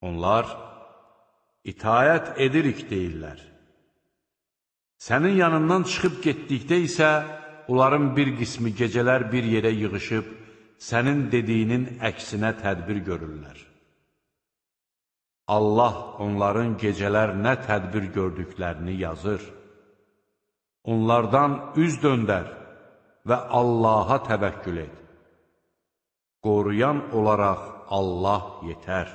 Onlar, itayət edirik deyirlər. Sənin yanından çıxıb getdikdə isə, onların bir qismi gecələr bir yerə yığışıb, sənin dediyinin əksinə tədbir görürlər. Allah onların gecələr nə tədbir gördüklərini yazır. Onlardan üz döndər və Allaha təvəkkül et. Qoruyan olaraq Allah yetər.